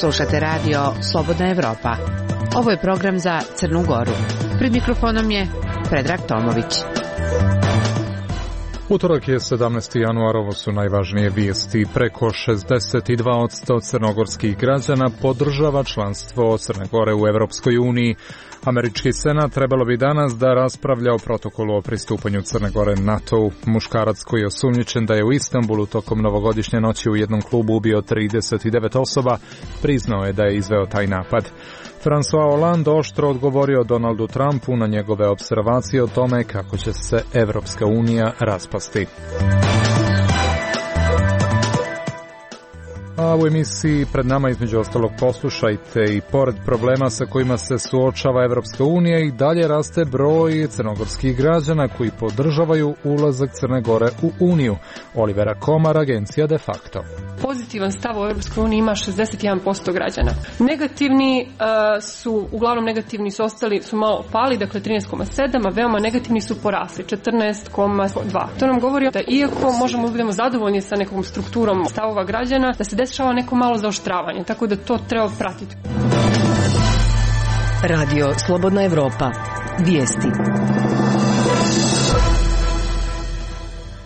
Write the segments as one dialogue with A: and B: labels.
A: Slušate radio Slobodna Evropa. Ovo je program za Crnu Goru. Pred mikrofonom je Predrag Tomović.
B: Utorak je 17. januar, ovo su najvažnije vijesti. Preko 62% crnogorskih građana podržava članstvo Crne Gore u Evropskoj uniji. Američki senat trebalo bi danas da raspravlja o protokolu o pristupanju Crne Gore NATO-u. Muškarac koji je osumnjičen da je u Istanbulu tokom novogodišnje noći u jednom klubu ubio 39 osoba, priznao je da je izveo taj napad. François Hollande oštro odgovorio Donaldu Trumpu na njegove observacije o tome kako će se Evropska unija raspasti. A u emisiji pred nama između ostalog poslušajte i pored problema sa kojima se suočava Evropska unija i dalje raste broj crnogorskih građana koji podržavaju ulazak Crne Gore u Uniju. Olivera Komar, agencija De Facto.
C: Pozitivan stav u Evropskoj uniji ima 61% građana. Negativni uglavnom negativni su ostali, su malo pali, dakle 13,7, a veoma negativni su porasli, 14,2. To nam govori da iako možemo da budemo zadovoljni sa nekom strukturom stavova građana, da se dešava neko malo zaoštravanje, tako da to treba pratiti.
D: Radio Slobodna Evropa. Vijesti.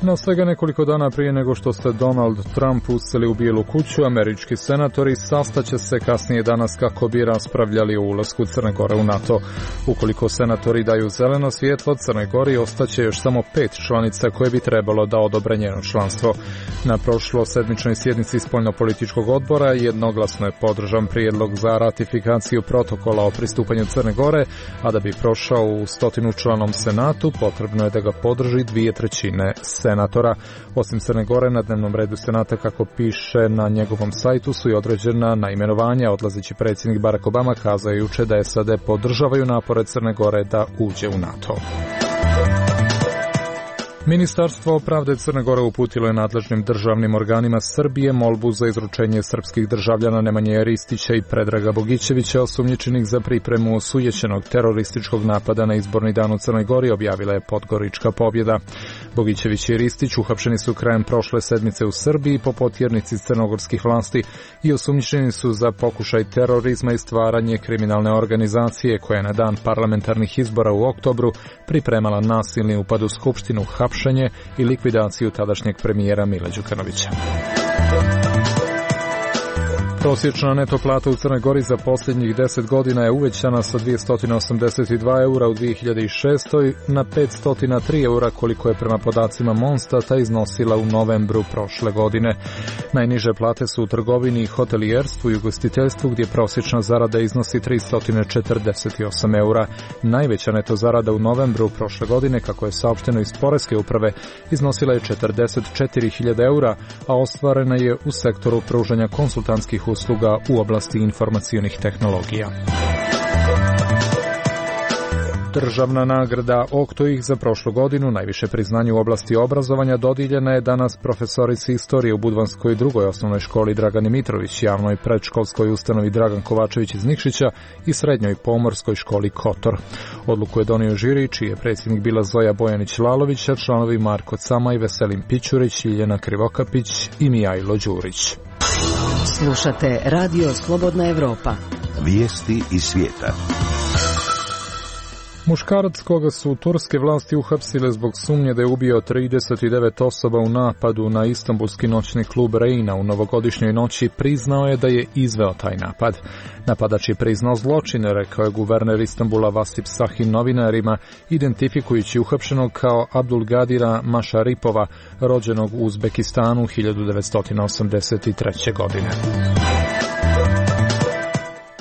B: Na svega nekoliko dana prije nego što se Donald Trump useli u Bijelu kuću, američki senatori sastaće se kasnije danas kako bi raspravljali o ulasku Crne Gore u NATO. Ukoliko senatori daju zeleno svjetlo Crnoj Gori, ostaće još samo 5 članica koje bi trebalo da odobre njeno članstvo. Na prošlosedmičnoj sjednici spoljnopolitičkog odbora jednoglasno je podržan prijedlog za ratifikaciju protokola o pristupanju Crne Gore, a da bi prošao u 100-članom senatu, potrebno je da ga podrži 2/3 senatora. Osim Crne Gore, na dnevnom redu senata, kako piše na njegovom sajtu, su i određena naimenovanja. Odlazeći predsjednik Barack Obama kazao juče da SAD podržavaju napore Crne Gore da uđe u NATO. Ministarstvo pravde Crne Gore uputilo je nadležnim državnim organima Srbije molbu za izručenje srpskih državljana Nemanje Ristića i Predraga Bogićevića, osumnjičenih za pripremu osujećenog terorističkog napada na izborni dan u Crnoj Gori, objavila je Podgorička pobjeda. Bogićević i Ristić uhapšeni su krajem prošle sedmice u Srbiji po potjernici crnogorskih vlasti i osumnjičeni su za pokušaj terorizma i stvaranje kriminalne organizacije koja je na dan parlamentarnih izbora u oktobru pripremala nasilni upad u skupštinu, hapšenje i likvidaciju tadašnjeg premijera Mila Đukanovića. Prosječna neto plata u Crnoj Gori za posljednjih 10 godina je uvećana sa 282 eura u 2006. na 503 eura koliko je prema podacima Monstata iznosila u novembru prošle godine. Najniže plate su u trgovini i hotelijerstvu i ugostiteljstvu gdje prosječna zarada iznosi 348 eura. Najveća neto zarada u novembru prošle godine, kako je saopšteno iz Poreske uprave, iznosila je 44.000 eura, a ostvarena je u sektoru pružanja konsultantskih usluga u oblasti informacionih tehnologija. Državna nagrada Oktoih za prošlu godinu, najviše priznanje u oblasti obrazovanja, dodijeljena je danas profesorici istorije u Budvanskoj drugoj osnovnoj školi Dragani Mitrović, javnoj predškolskoj ustanovi Dragan Kovačević iz Nikšića i srednjoj pomorskoj školi Kotor. Odluku je donio žiri, čiji je predsjednik bila Zoja Bojanić-Lalović, a članovi Marko Camaj, Veselin Pićurić, Ljiljana Krivokapić i Mijajlo Đurić.
D: Slušate Radio Slobodna Evropa.
E: Vijesti iz svijeta.
B: Muškarac koga su turske vlasti uhapsile zbog sumnje da je ubio 39 osoba u napadu na istanbulski noćni klub Reina u novogodišnjoj noći, priznao je da je izveo taj napad. Napadač je priznao zločine, rekao je guverner Istanbula Vasip Sahin novinarima, identifikujući uhapšenog kao Abdulgadira Mašaripova, rođenog u Uzbekistanu 1983. godine.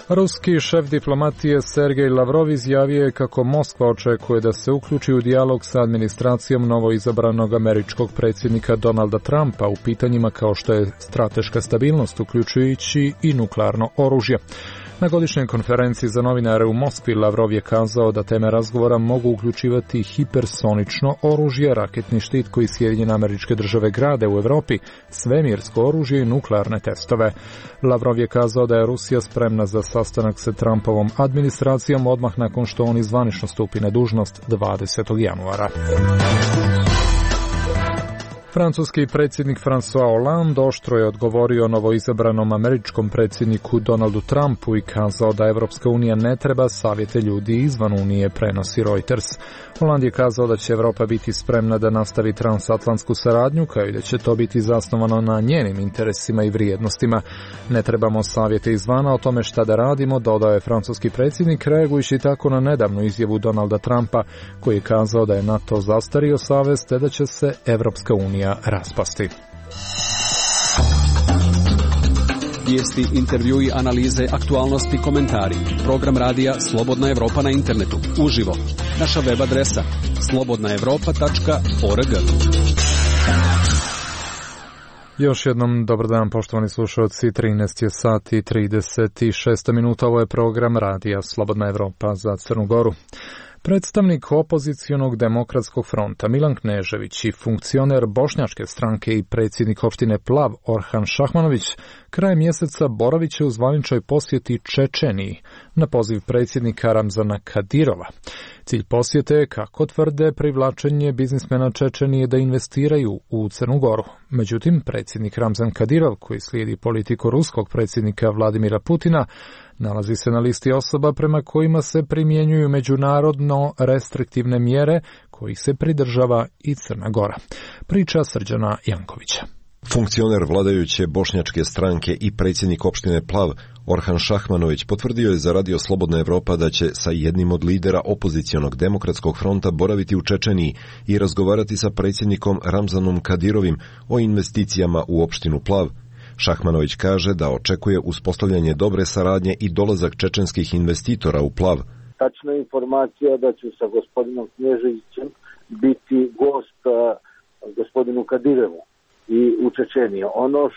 B: Ruski šef diplomatije Sergej Lavrov izjavio je kako Moskva očekuje da se uključi u dijalog sa administracijom novoizabranog američkog predsjednika Donalda Trumpa u pitanjima kao što je strateška stabilnost, uključujući i nuklearno oružje. Na godišnjoj konferenciji za novinare u Moskvi Lavrov je kazao da teme razgovora mogu uključivati hipersonično oružje, raketni štit koji Sjedinjene Američke Države grade u Europi, svemirsko oružje i nuklearne testove. Lavrov je kazao da je Rusija spremna za sastanak sa Trumpovom administracijom odmah nakon što on zvanično stupi na dužnost 20. januara. Francuski predsjednik François Hollande oštro je odgovorio novoizabranom američkom predsjedniku Donaldu Trumpu i kazao da Evropska unija ne treba savjete ljudi izvan unije, prenosi Reuters. Hollande je kazao da će Evropa biti spremna da nastavi transatlantsku saradnju, kao i da će to biti zasnovano na njenim interesima i vrijednostima. Ne trebamo savjete izvana o tome šta da radimo, dodao je francuski predsjednik, reagujući tako na nedavnu izjavu Donalda Trumpa, koji je kazao da je NATO zastario savez te da će se Evropska unija raspasti.
F: Vijesti, intervjui, analize, aktualnosti, komentari. Program radija Slobodna Evropa na internetu. Uživo. Naša web adresa slobodnaevropa.org.
B: Još jednom dobar dan, poštovani slušalci. 13 je sati i 36 minuta. Ovo je program radija Slobodna Evropa za Crnu Goru. Predstavnik opozicionog demokratskog fronta Milan Knežević i funkcioner bošnjačke stranke i predsjednik opštine Plav Orhan Šahmanović krajem mjeseca boravit će u zvaničnoj posjeti Čečeniji na poziv predsjednika Ramzana Kadirova. Cilj posjete je, kako tvrde, privlačenje biznismena Čečenije da investiraju u Crnu Goru. Međutim, predsjednik Ramzan Kadirov, koji slijedi politiku ruskog predsjednika Vladimira Putina, nalazi se na listi osoba prema kojima se primjenjuju međunarodno restriktivne mjere kojih se pridržava i Crna Gora. Priča Srđana Jankovića.
G: Funkcioner vladajuće bošnjačke stranke i predsjednik opštine Plav Orhan Šahmanović potvrdio je za Radio Slobodna Evropa da će sa jednim od lidera opozicionog demokratskog fronta boraviti u Čečeniji i razgovarati sa predsjednikom Ramzanom Kadirovim o investicijama u opštinu Plav. Šahmanović kaže da očekuje uspostavljanje dobre saradnje i dolazak čečenskih investitora u Plav.
H: Tačna informacija da će sa gospodinom Kneževićem biti gost gospodinu Kadirevu i u Čečeniji. Ono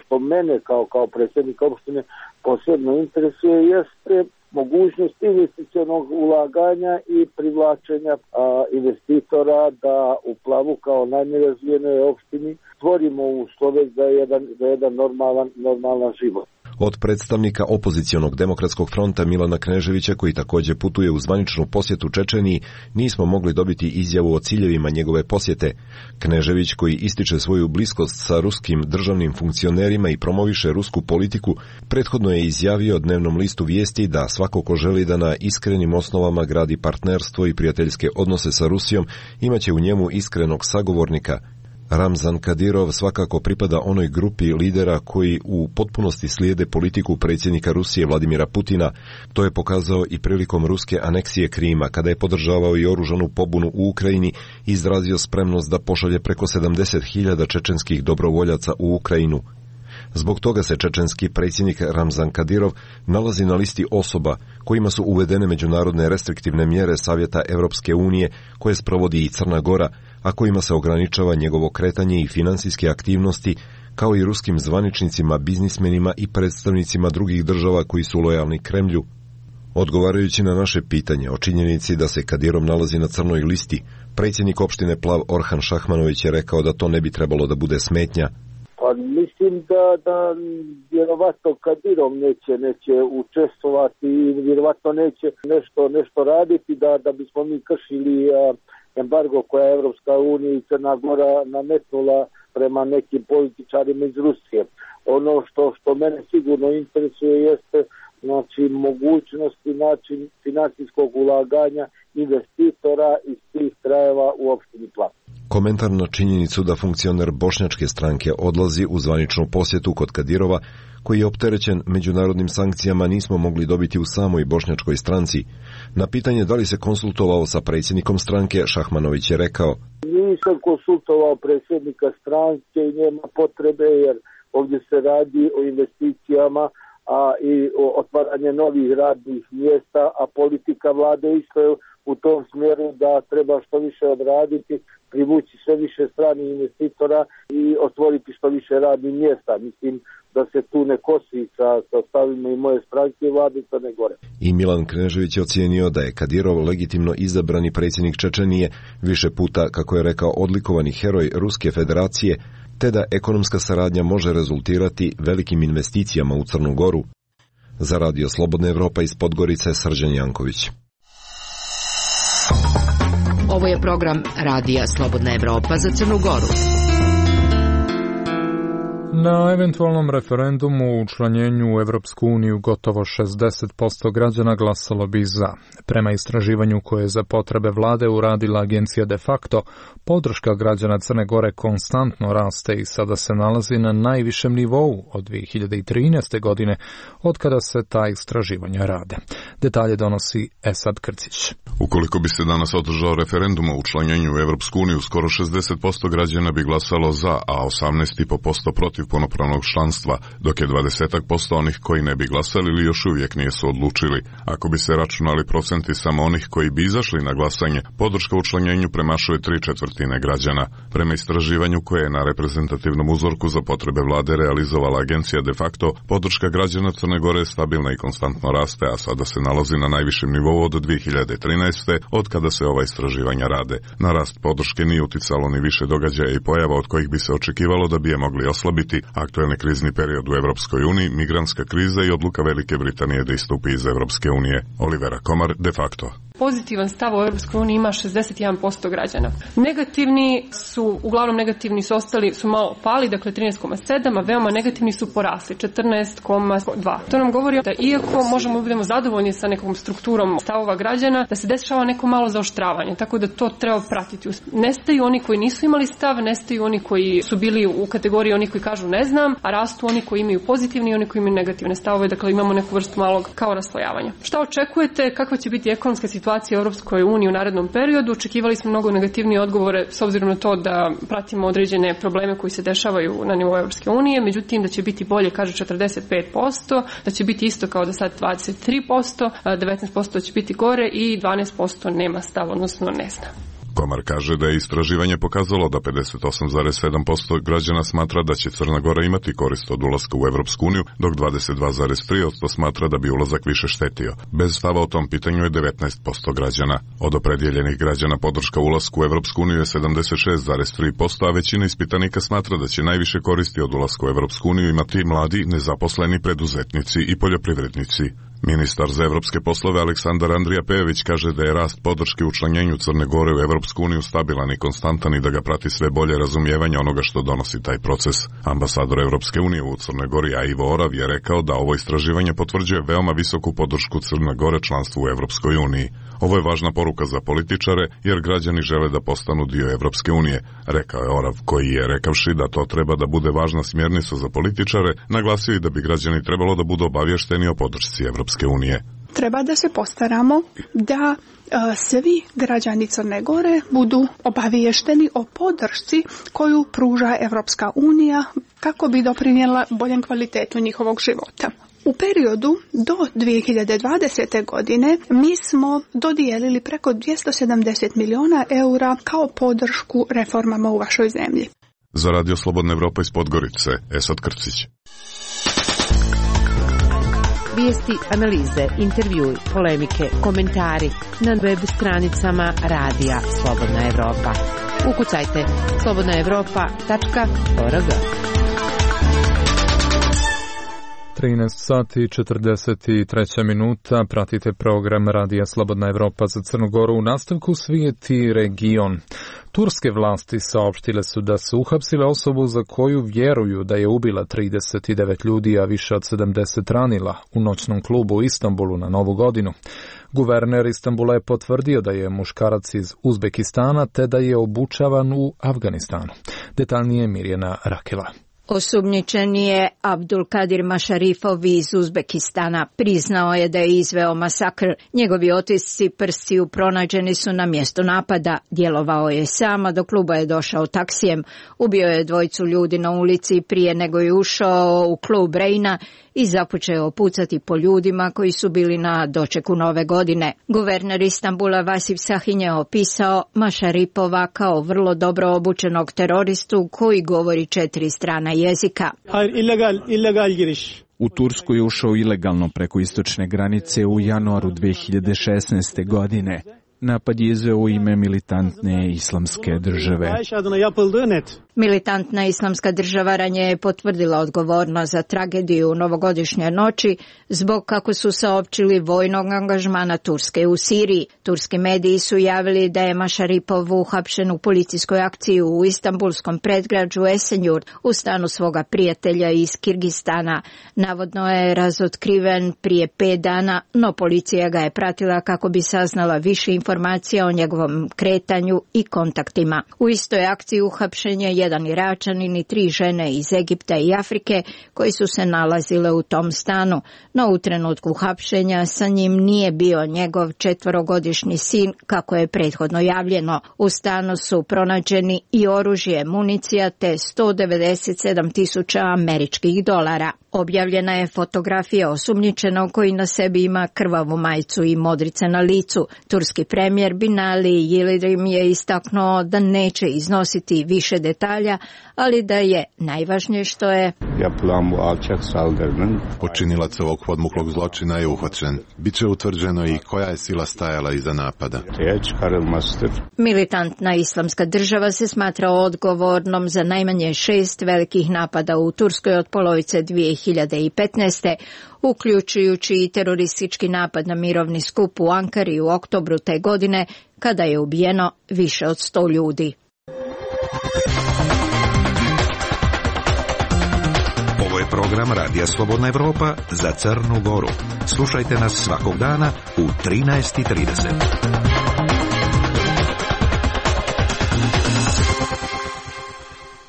H: što mene kao predsjednik opštine posebno interesuje jeste mogućnost investicionog ulaganja i privlačenja investitora da u Plavu kao najnerazvijenoj opštini stvorimo uslove za jedan normalan život.
G: Od predstavnika opozicionog demokratskog fronta Milana Kneževića, koji također putuje u zvaničnu posjetu Čečeniji, nismo mogli dobiti izjavu o ciljevima njegove posjete. Knežević, koji ističe svoju bliskost sa ruskim državnim funkcionerima i promoviše rusku politiku, prethodno je izjavio dnevnom listu Vijesti da svako ko želi da na iskrenim osnovama gradi partnerstvo i prijateljske odnose sa Rusijom, imaće u njemu iskrenog sagovornika. Ramzan Kadirov svakako pripada onoj grupi lidera koji u potpunosti slijede politiku predsjednika Rusije Vladimira Putina. To je pokazao i prilikom ruske aneksije Krima, kada je podržavao i oružanu pobunu u Ukrajini i izrazio spremnost da pošalje preko 70.000 čečenskih dobrovoljaca u Ukrajinu. Zbog toga se čečenski predsjednik Ramzan Kadirov nalazi na listi osoba kojima su uvedene međunarodne restriktivne mjere Savjeta Evropske unije koje sprovodi i Crna Gora, a kojima se ograničava njegovo kretanje i financijske aktivnosti, kao i ruskim zvaničnicima, biznismenima i predstavnicima drugih država koji su lojalni Kremlju. Odgovarajući na naše pitanje o činjenici da se Kadirov nalazi na crnoj listi, predsjednik opštine Plav Orhan Šahmanović je rekao da to ne bi trebalo da bude smetnja.
H: Pa mislim da vjerovatno Kadirov neće učestvovati i vjerovatno neće nešto raditi da bismo mi kršili embargo koja je Evropska unija i Crna Gora nametnula prema nekim političarima iz Rusije. Ono što mene sigurno interesuje jeste mogućnost i način financijskog ulaganja investitora iz tih krajeva u opštini Plav.
G: Komentar na činjenicu da funkcioner bošnjačke stranke odlazi u zvaničnu posjetu kod Kadirova, koji je opterećen međunarodnim sankcijama, nismo mogli dobiti u samoj bošnjačkoj stranci. Na pitanje da li se konsultovao sa predsjednikom stranke, Šahmanović je rekao:
H: Nisam konsultovao predsjednika stranke i nema potrebe, jer ovdje se radi o investicijama i o otvaranje novih radnih mjesta, a politika vlade isto je u tom smjeru da treba što više odraditi, privući sve više stranih investitora i otvoriti što više radnih mjesta. Mislim da se tu ne kosi sa stavima i moje stranke i vlade Crne Gore.
G: I Milan Knežević je ocijenio da je Kadirov legitimno izabrani predsjednik Čečenije, više puta, kako je rekao, odlikovani heroj Ruske federacije, te da ekonomska saradnja može rezultirati velikim investicijama u Crnu Goru. Za Radio Slobodna Evropa iz Podgorice, Srđan Janković.
D: Ovo je program Radija Slobodna Evropa za Crnu Goru.
B: Na eventualnom referendumu u učlanjenju u Evropsku uniju gotovo 60% građana glasalo bi za. Prema istraživanju koje je za potrebe vlade uradila agencija De facto, podrška građana Crne Gore konstantno raste i sada se nalazi na najvišem nivou od 2013. godine, od kada se ta istraživanja rade. Detalje donosi Esad Krcić.
I: Ukoliko bi se danas održao referendum o učlanjenju u Evropsku uniju, skoro 60% građana bi glasalo za, a 18,5% protiv punopravnog članstva, dok je 20% onih koji ne bi glasali ili još uvijek nisu odlučili. Ako bi se računali procenti samo onih koji bi izašli na glasanje, podrška učlanjenju premašuje 3/4 građana. Prema istraživanju koje je na reprezentativnom uzorku za potrebe vlade realizovala agencija De facto, podrška građana Crne Gore je stabilna i konstantno raste, a sada se nalazi na najvišem nivou od 2013. od kada se ova istraživanja rade. Na rast podrške nije uticalo ni više događaja i pojava od kojih bi se očekivalo da bi je mogli oslabiti: aktuelni krizni period u Evropskoj uniji, migrantska kriza i odluka Velike Britanije da istupi iz Evropske unije. Olivera Komar, De facto.
C: Pozitivan stav u Europskoj uniji ima 61% građana. Negativni su, uglavnom negativni su ostali, su malo pali, dakle 13,7, a veoma negativni su porasli, 14,2. To nam govori da iako možemo budemo zadovoljni sa nekom strukturom stavova građana, da se dešava neko malo zaoštravanje, tako da to treba pratiti. Nestaju oni koji nisu imali stav, nestaju oni koji su bili u kategoriji onih koji kažu ne znam, a rastu oni koji imaju pozitivne i oni koji imaju negativne stavove, dakle imamo neku vrstu malog kao raslojavanja. Šta očekujete, kakva će biti ekonomska situacija u Europskoj uniji u narednom periodu? Očekivali smo mnogo negativnije odgovore s obzirom na to da pratimo određene probleme koji se dešavaju na nivou Europske unije, međutim da će biti bolje, kaže 45%, da će biti isto kao da sad 23%, 19% će biti gore i 12% nema stav, odnosno ne zna.
I: Komar kaže da je istraživanje pokazalo da 58,7% građana smatra da će Crna Gora imati korist od ulaska u Evropsku uniju, dok 22,3% smatra da bi ulazak više štetio. Bez stava o tom pitanju je 19% građana. Od opredjeljenih građana podrška ulasku u Evropsku uniju je 76,3%, a većina ispitanika smatra da će najviše koristi od ulaska u Evropsku uniju imati mladi, nezaposleni, preduzetnici i poljoprivrednici. Ministar za evropske poslove Aleksandar Andrija Pejević kaže da je rast podrške učlanjenju Crne Gore u Evropsku uniju stabilan i konstantan i da ga prati sve bolje razumijevanje onoga što donosi taj proces. Ambasador Evropske unije u Crnoj Gori Ivo Orav je rekao da ovo istraživanje potvrđuje veoma visoku podršku Crne Gore članstvu u Evropskoj uniji. Ovo je važna poruka za političare jer građani žele da postanu dio Evropske unije, rekao je Orav, koji je, rekavši da to treba da bude važna smjernica za političare, naglasio i da bi građani trebalo da budu obavješteni o podršci Evropske unije.
J: Treba da se postaramo da svi građani Crne Gore budu obaviješteni o podršci koju pruža Evropska unija kako bi doprinijela boljem kvalitetu njihovog života. U periodu do 2020. godine mi smo dodijelili preko 270 milijuna eura kao podršku reformama u vašoj zemlji.
I: Za Radio Slobodna Evropa iz Podgorice, Esad Krcić.
A: Vijesti, analize, intervjui, polemike, komentari na web stranicama Radija Slobodna Evropa. Ukucajte slobodnaevropa.org.
B: 13 sati i 43 minuta, pratite program Radija Slobodna Evropa za Crnu Goru. U nastavku svijet i region. Turske vlasti saopštile su da su uhapsile osobu za koju vjeruju da je ubila 39 ljudi, a više od 70 ranila u noćnom klubu u Istanbulu na Novu godinu. Guverner Istanbula je potvrdio da je muškarac iz Uzbekistana te da je obučavan u Afganistanu. Detaljnije Mirjana Rakela.
K: Osumnjičeni je Abdulkadir Mašarifov iz Uzbekistana. Priznao je da je izveo masakr. Njegovi otisci prstiju pronađeni su na mjestu napada. Djelovao je sam, a do kluba je došao taksijem. Ubio je dvojicu ljudi na ulici prije nego je ušao u klub Reina i započeo pucati po ljudima koji su bili na dočeku Nove godine. Guverner Istanbula Vasif Sahin je opisao Mašaripova kao vrlo dobro obučenog teroristu koji govori 4 strana jezika.
L: Illegal giriş. U Tursku je ušao ilegalno preko istočne granice u januaru 2016. godine.
M: Napad je izveo u ime militantne islamske države.
K: Militantna islamska država ranije je potvrdila odgovornost za tragediju u novogodišnjoj noći zbog, kako su saopćili, vojnog angažmana Turske u Siriji. Turski mediji su javili da je Mašaripov uhapšen u policijskoj akciji u istanbulskom predgrađu Esenjurt u stanu svoga prijatelja iz Kirgistana. Navodno je razotkriven prije 5 dana, no policija ga je pratila kako bi saznala više informacija o njegovom kretanju i kontaktima. U istoj akciji uhapšen je jedan Iračanin i 3 žene iz Egipta i Afrike koji su se nalazile u tom stanu, no u trenutku hapšenja sa njim nije bio njegov 4-godišnji sin, kako je prethodno javljeno. U stanu su pronađeni i oružje, municija te 197.000 američkih dolara. Objavljena je fotografija osumnjičenog koji na sebi ima krvavu majicu i modrice na licu. Turski premijer Binali Yildirim je istaknuo da neće iznositi više detalja, ali da je najvažnije što je
N: počinilac ovog podmuklog zločina je uhvaćen. Biće utvrđeno i koja je sila stajala iza napada.
K: Militantna islamska država se smatra odgovornom za najmanje 6 velikih napada u Turskoj od polovice 2015. uključujući i teroristički napad na mirovni skup u Ankari u oktobru te godine, kada je ubijeno više od 100 ljudi.
E: Ovo je program Radija Slobodna Evropa za Crnu Goru. Slušajte nas svakog dana u 13:30.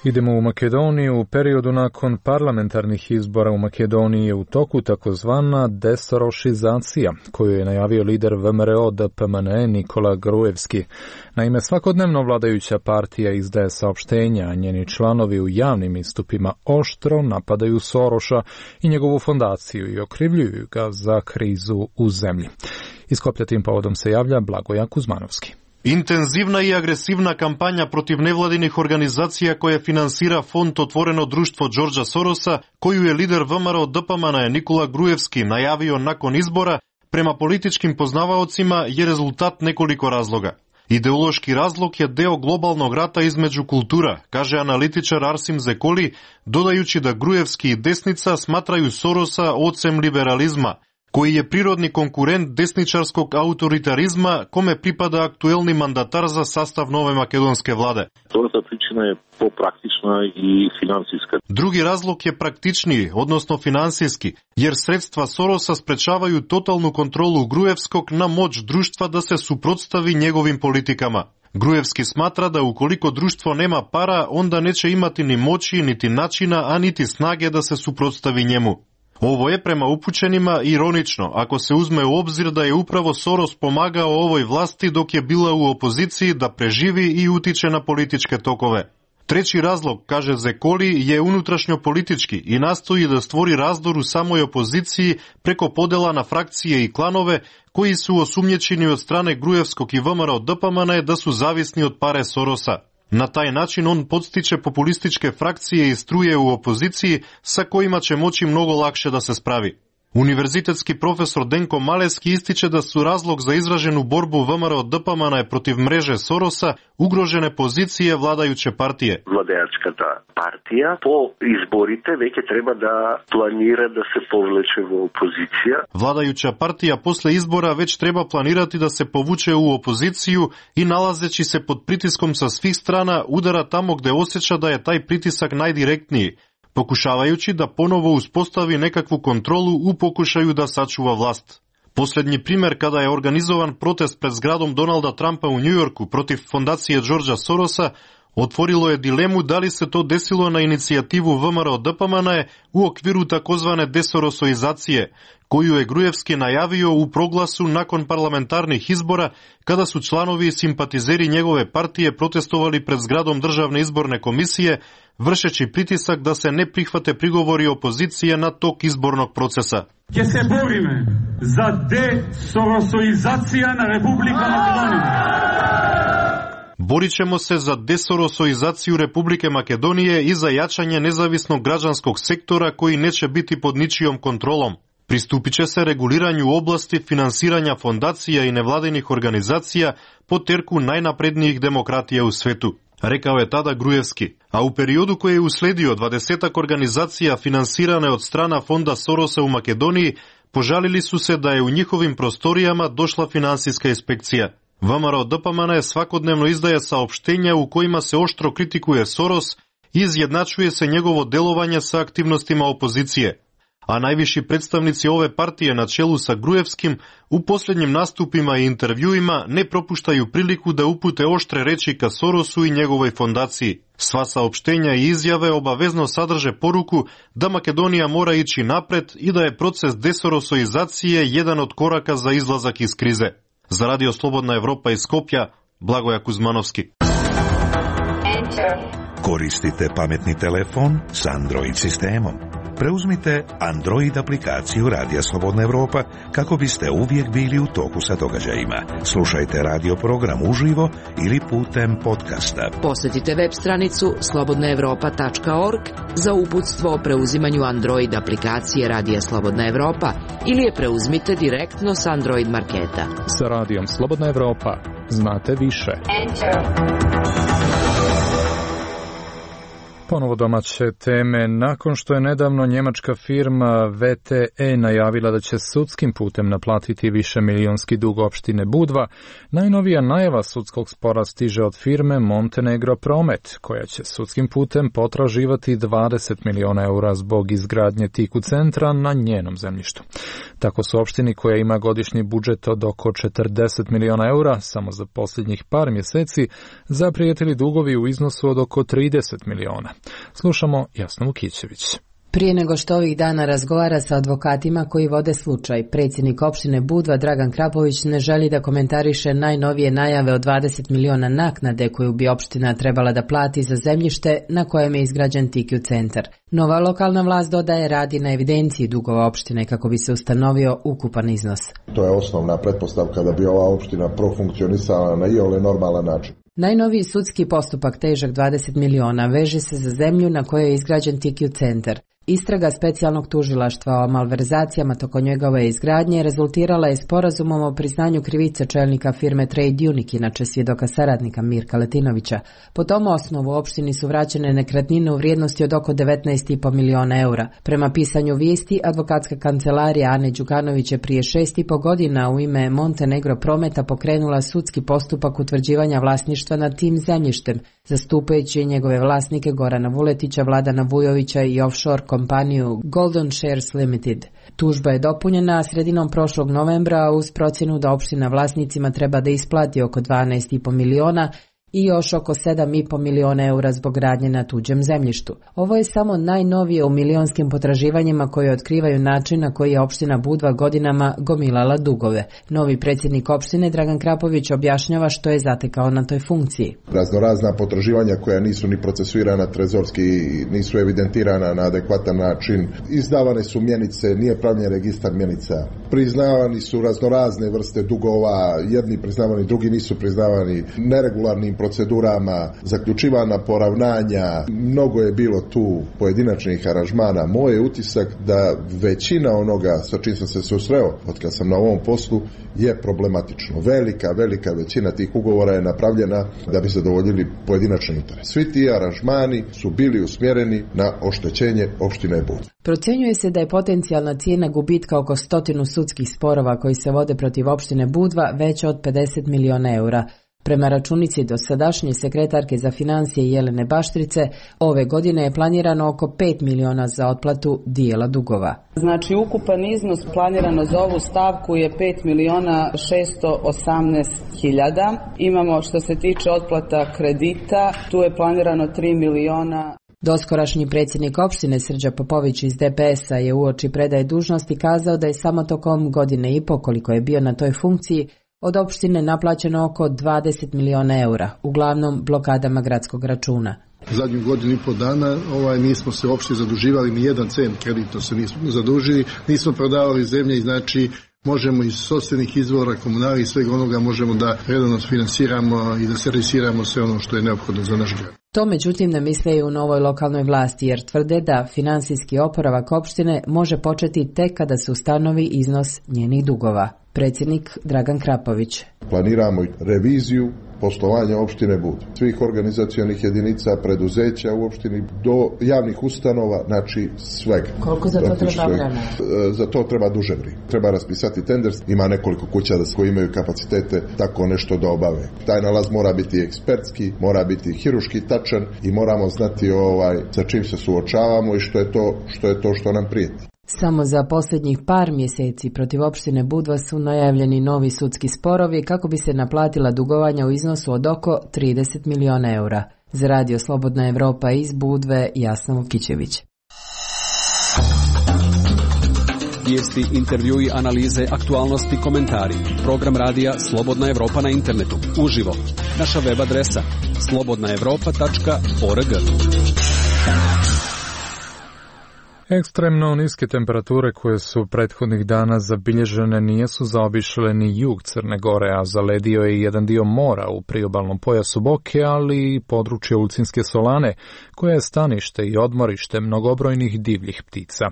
B: Idemo u Makedoniju. U periodu nakon parlamentarnih izbora u Makedoniji je u toku takozvana desorošizacija, koju je najavio lider VMRO DPMNE Nikola Gruevski. Naime, svakodnevno vladajuća partija izdaje saopštenja, a njeni članovi u javnim istupima oštro napadaju Soroša i njegovu fondaciju i okrivljuju ga za krizu u zemlji. Iz Skoplja tim povodom se javlja Blagoja Kuzmanovski.
O: Интензивна и агресивна кампања против невладиних организација која финансира фонд Отворено друштво Џорџа Сороса, коју е лидер ВМРО ДПМН Никола Груевски најавио након избора, према политичким познаваоцима е резултат неколико разлога. Идеолошки разлог е део глобалног рата измеѓу култура, каже аналитичар Арсим Зеколи, додајучи да Груевски и десница сматрају Сороса оцем либерализма, кој е природни конкурент десничарскog ауторитаризма, коме припада актуелни мандатар за састав нове македонске владе.
P: Втората причина е попрактична и финансиска.
O: Други разлог е практични, односно финансиски, јер средства Сороса спречавају тоталну контролу Груевскog на моќ друштва да се супротстави неговим политикама. Груевски сматра да уколико друштво нема пара, онда нече имати ни моќи, нити начина, а нити снаге да се супротстави njemu. Ovo je prema upućenima ironično, ako se uzme u obzir da je upravo Soros pomagao ovoj vlasti dok je bila u opoziciji da preživi i utiče na političke tokove. Treći razlog, kaže Zekoli, je unutrašnjo politički i nastoji da stvori razdor u samoj opoziciji preko podela na frakcije i klanove koji su osumnjičeni od strane Gruevskog i VMRO DPMNE da su zavisni od pare Sorosa. Na taj način on podstiče populističke frakcije i struje u opoziciji sa kojima će moći mnogo lakše da se spravi. Univerzitetski profesor Denko Maleski ističe da su razlog za izraženu borbu VMRO DPMNE protiv mreže Sorosa ugrožene pozicije vladajuće partije.
P: Владеачката партија по изборите веќе треба да планира да се повлече во опозиција.
O: Vladajuća partija posle izbora već treba planirati da se povuče u opoziciju i nalazeći se pod pritiskom sa svih strana udara tamo gde osjeća da je taj pritisak najdirektniji, pokušavajući da ponovo uspostavi nekakvu kontrolu u pokušaju da sačuva vlast. Posljednji primjer kada je organizovan protest pred zgradom Donalda Trumpa u Njujorku protiv fondacije Đorđa Sorosa, otvorilo je dilemu da li se to desilo na inicijativu VMRO DPMNE u okviru takozvane desorosoizacije, koju je Gruevski najavio u proglasu nakon parlamentarnih izbora, kada su članovi i simpatizeri njegove partije protestovali pred zgradom Državne izborne komisije, vršeći pritisak da se ne prihvate prigovori opozicije na tok izbornog procesa.
Q: Ќе се бориме за десоросоизација на Република Македонија.
O: Borit ćemo se za desorosoizaciju Republike Makedonije i za jačanje nezavisnog građanskog sektora koji neće biti pod ničijom kontrolom. Pristupit će se reguliranju oblasti finansiranja fondacija i nevladinih organizacija po terku najnaprednijih demokratija u svetu, rekao je tada Grujevski. A u periodu koji je usledio 20 organizacija finansirane od strana fonda Sorosa u Makedoniji požalili su se da je u njihovim prostorijama došla finansijska inspekcija. ВМРО ДПМН svakodnevno izdaje saopštenja u kojima se oštro kritikuje Soros i izjednačuje se njegovo delovanje sa aktivnostima opozicije. A najviši predstavnici ove partije na čelu sa Grujevskim u posljednjim nastupima i intervjuima ne propuštaju priliku da upute oštre reči ka Sorosu i njegovoj fondaciji. Sva saopštenja i izjave obavezno sadrže poruku da Makedonija mora ići napred i da je proces desorosoizacije jedan od koraka za izlazak iz krize. Za Radio Slobodna Evropa iz Skopja, Blagoja Kuzmanovski.
E: Koristite pametni telefon s Android sistemom. Preuzmite Android aplikaciju Radija Slobodna Evropa kako biste uvijek bili u toku sa događajima. Slušajte radio program uživo ili putem podcasta.
D: Posjetite web stranicu slobodnaevropa.org za uputstvo o preuzimanju Android aplikacije Radija Slobodna Evropa ili je preuzmite direktno s Android marketa.
B: Sa Radijom Slobodna Evropa znate više. Ponovo domaće teme. Nakon što je nedavno njemačka firma VTE najavila da će sudskim putem naplatiti višemilijonski dug opštine Budva, najnovija najava sudskog spora stiže od firme Montenegro Promet, koja će sudskim putem potraživati 20 miliona eura zbog izgradnje Tiku centra na njenom zemljištu. Tako su opštini koja ima godišnji budžet od oko 40 miliona eura samo za posljednjih par mjeseci zaprijetili dugovi u iznosu od oko 30 miliona. Slušamo Jasnu Vukićević.
R: Prije nego što ovih dana razgovara sa advokatima koji vode slučaj, predsjednik opštine Budva Dragan Krapović ne želi da komentariše najnovije najave od 20 miliona naknade koju bi opština trebala da plati za zemljište na kojem je izgrađen Tikiju centar. Nova lokalna vlast, dodaje, radi na evidenciji dugova opštine kako bi se ustanovio ukupan iznos.
S: To je osnovna pretpostavka da bi ova opština profunkcionisala na iole normalan način.
R: Najnoviji sudski postupak težak 20 miliona veže se za zemlju na kojoj je izgrađen Tikiju centar. Istraga specijalnog tužilaštva o malverzacijama tokom njegove izgradnje rezultirala je sporazumom o priznanju krivice čelnika firme Trade Unic, inače svjedoka saradnika Mirka Letinovića. Po tom osnovu opštini su vraćene nekretnine u vrijednosti od oko 19,5 miliona eura. Prema pisanju vijesti, advokatska kancelarija Ane Đukanović je prije 6,5 godina u ime Montenegro Prometa pokrenula sudski postupak utvrđivanja vlasništva nad tim zemljištem, zastupajući njegove vlasnike Gorana Vuletića, Vladana Vujovića i offshore kompaniju Golden Shares Limited. Tužba je dopunjena sredinom prošlog novembra uz procjenu da opština vlasnicima treba da isplati oko 12,5 miliona i još oko 7,5 miliona eura zbog radnje na tuđem zemljištu. Ovo je samo najnovije u milionskim potraživanjima koje otkrivaju način na koji je opština Budva godinama gomilala dugove. Novi predsjednik opštine Dragan Krapović objašnjava što je zatekao na toj funkciji.
S: Raznorazna potraživanja koja nisu ni procesuirana trezorski, nisu evidentirana na adekvatan način. Izdavane su mjenice, nije pravljen registar mjenica. Priznavani su raznorazne vrste dugova, jedni priznavani, drugi nisu priznavani, neregularnim procedurama, zaključivana poravnanja, mnogo je bilo tu pojedinačnih aranžmana. Moj je utisak da većina onoga sa čim sam se susreo od kad sam na ovom poslu je problematično. Velika većina tih ugovora je napravljena da bi zadovoljili pojedinačni interes. Svi ti aranžmani su bili usmjereni na oštećenje opštine Budva.
R: Procjenjuje se da je potencijalna cijena gubitka oko 100 sudskih sporova koji se vode protiv opštine Budva veća od 50 miliona eura. Prema računici dosadašnje sekretarke za financije Jelene Baštrice, ove godine je planirano oko 5 miliona za otplatu dijela dugova.
T: Znači, ukupan iznos planirano za ovu stavku je 5 miliona 618 hiljada. Imamo, što se tiče otplata kredita, tu je planirano 3 miliona.
R: Doskorašnji predsjednik opštine Srđa Popović iz DPS-a je uoči predaje dužnosti kazao da je samo tokom godine i po koliko je bio na toj funkciji od opštine naplaćeno oko 20 miliona eura, uglavnom blokadama gradskog računa.
S: Zadnju godinu i po dana nismo se uopšte zaduživali, ni jedan cent kredito se nismo zadužili, nismo prodavali zemlje i znači
U: možemo iz sopstvenih izvora, komunali i svega onoga možemo da redovno finansiramo i da servisiramo sve ono što je neophodno za naš grad.
R: To međutim ne misle i u novoj lokalnoj vlasti jer tvrde da finansijski oporavak opštine može početi tek kada se ustanovi iznos njenih dugova. Predsjednik Dragan Krapović.
S: Planiramo reviziju poslovanja opštine Bud, svih organizacionih jedinica, preduzeća u opštini do javnih ustanova, znači svega.
R: Koliko za to treba vremena?
S: Za to treba duže vrijeme. Treba raspisati tender, ima nekoliko kuća koji imaju kapacitete tako nešto da obave. Taj nalaz mora biti ekspertski, mora biti hiruški tačan i moramo znati sa čim se suočavamo i što je to što nam prijeti.
R: Samo za posljednjih par mjeseci protiv opštine Budva su najavljeni novi sudski sporovi kako bi se naplatila dugovanja u iznosu od oko 30 miliona eura. Za Radio Slobodna Evropa iz Budve, Jasna Vukićević.
F: Vijesti, intervjui, analize, aktualnosti, komentari. Program radija Slobodna Evropa na internetu. Uživo. Naša web adresa slobodnaevropa.org.
B: Ekstremno niske temperature koje su prethodnih dana zabilježene nijesu zaobišle ni jug Crne Gore, a zaledio je jedan dio mora u priobalnom pojasu Boke, ali i područje Ulcinske Solane, koje je stanište i odmorište mnogobrojnih divljih ptica.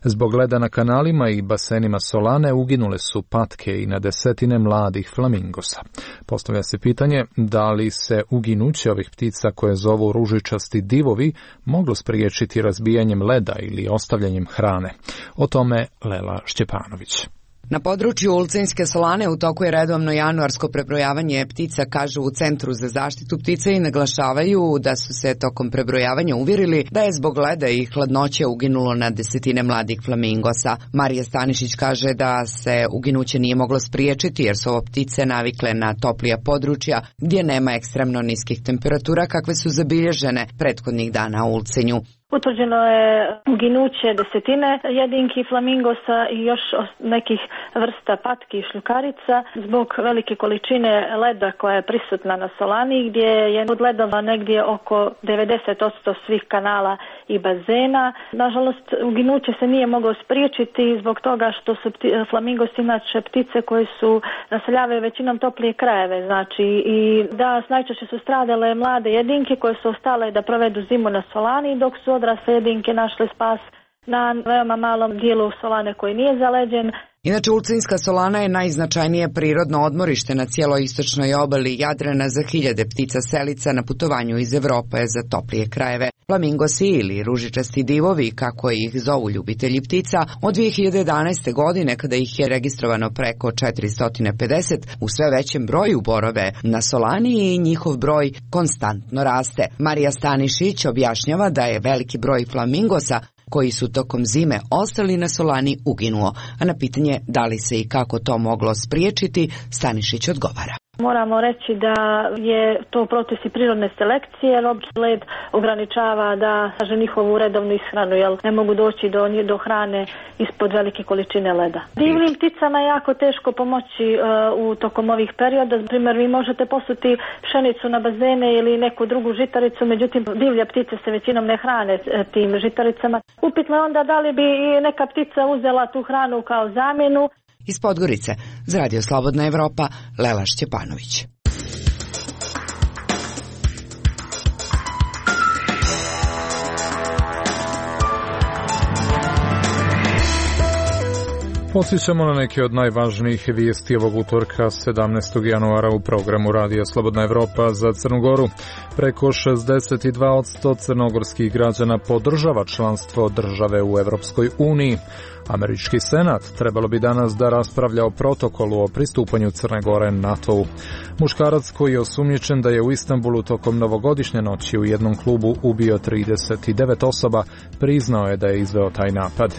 B: Zbog leda na kanalima i basenima Solane uginule su patke i na desetine mladih flamingosa. Postavlja se pitanje da li se uginuće ovih ptica koje zovu ružičasti divovi moglo spriječiti razbijanjem leda ili ostavljanjem hrane. O tome Lela Šćepanović.
V: Na području Ulcinske Solane u toku je redovno januarsko prebrojavanje ptica, kažu u Centru za zaštitu ptica i naglašavaju da su se tokom prebrojavanja uvjerili da je zbog leda i hladnoće uginulo na desetine mladih flamingosa. Marija Stanišić kaže da se uginuće nije moglo spriječiti jer su ovo ptice navikle na toplija područja gdje nema ekstremno niskih temperatura kakve su zabilježene prethodnih dana u Ulcinju.
W: Utvrđeno je uginuće desetine jedinki flamingosa i još nekih vrsta patki i šljukarica zbog velike količine leda koja je prisutna na Solani, gdje je od ledova negdje oko 90% svih kanala i bazena. Nažalost, uginuće se nije moglo spriječiti zbog toga što su flamingosi inače ptice koje su naseljavaju većinom toplije krajeve, znači i da najčešće su stradale mlade jedinke koje su ostale da provedu zimu na Solani, dok su odrasle jedinke našle spas na veoma malom dijelu Solane koji nije zaleđen.
V: Inače, Ulcinska Solana je najznačajnije prirodno odmorište na cijeloj istočnoj obali Jadrana za hiljade ptica selica na putovanju iz Evrope za toplije krajeve. Flamingosi ili ružičasti divovi, kako ih zovu ljubitelji ptica, od 2011. godine kada ih je registrovano preko 450, u sve većem broju borove na Solani i njihov broj konstantno raste. Marija Stanišić objašnjava da je veliki broj flamingosa koji su tokom zime ostali na Solani uginuo, a na pitanje da li se i kako to moglo spriječiti, Stanišić odgovara.
W: Moramo reći da je to proces i prirodne selekcije, jer led ograničava da njihovu redovnu ishranu, jer ne mogu doći do hrane ispod velike količine leda. Divljim pticama je jako teško pomoći u tokom ovih perioda. Na primjer, vi možete posuti pšenicu na bazene ili neku drugu žitaricu, međutim divlje ptice se većinom ne hrane tim žitaricama. Upitno je onda da li bi neka ptica uzela tu hranu kao zamjenu.
V: Iz Podgorice, za Radio Slobodna Evropa, Lela Šćepanović.
B: Podsjećamo na neke od najvažnijih vijesti ovog utorka 17. januara u programu Radija Slobodna Evropa za Crnu Goru. Preko 62% crnogorskih građana podržava članstvo države u Evropskoj uniji. Američki senat trebalo bi danas da raspravlja o protokolu o pristupanju Crne Gore NATO-u. Muškarac koji je osumnjičen da je u Istanbulu tokom novogodišnje noći u jednom klubu ubio 39 osoba, priznao je da je izveo taj napad.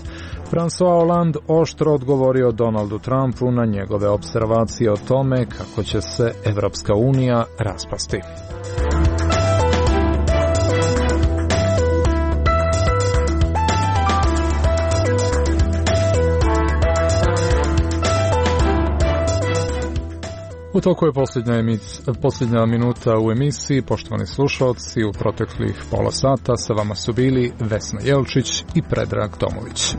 B: François Hollande oštro odgovorio Donaldu Trumpu na njegove observacije o tome kako će se Evropska unija raspasti. U toku je posljednja minuta u emisiji. Poštovani slušalci, u proteklih pola sata sa vama su bili Vesna Jelčić i Predrag Tomović.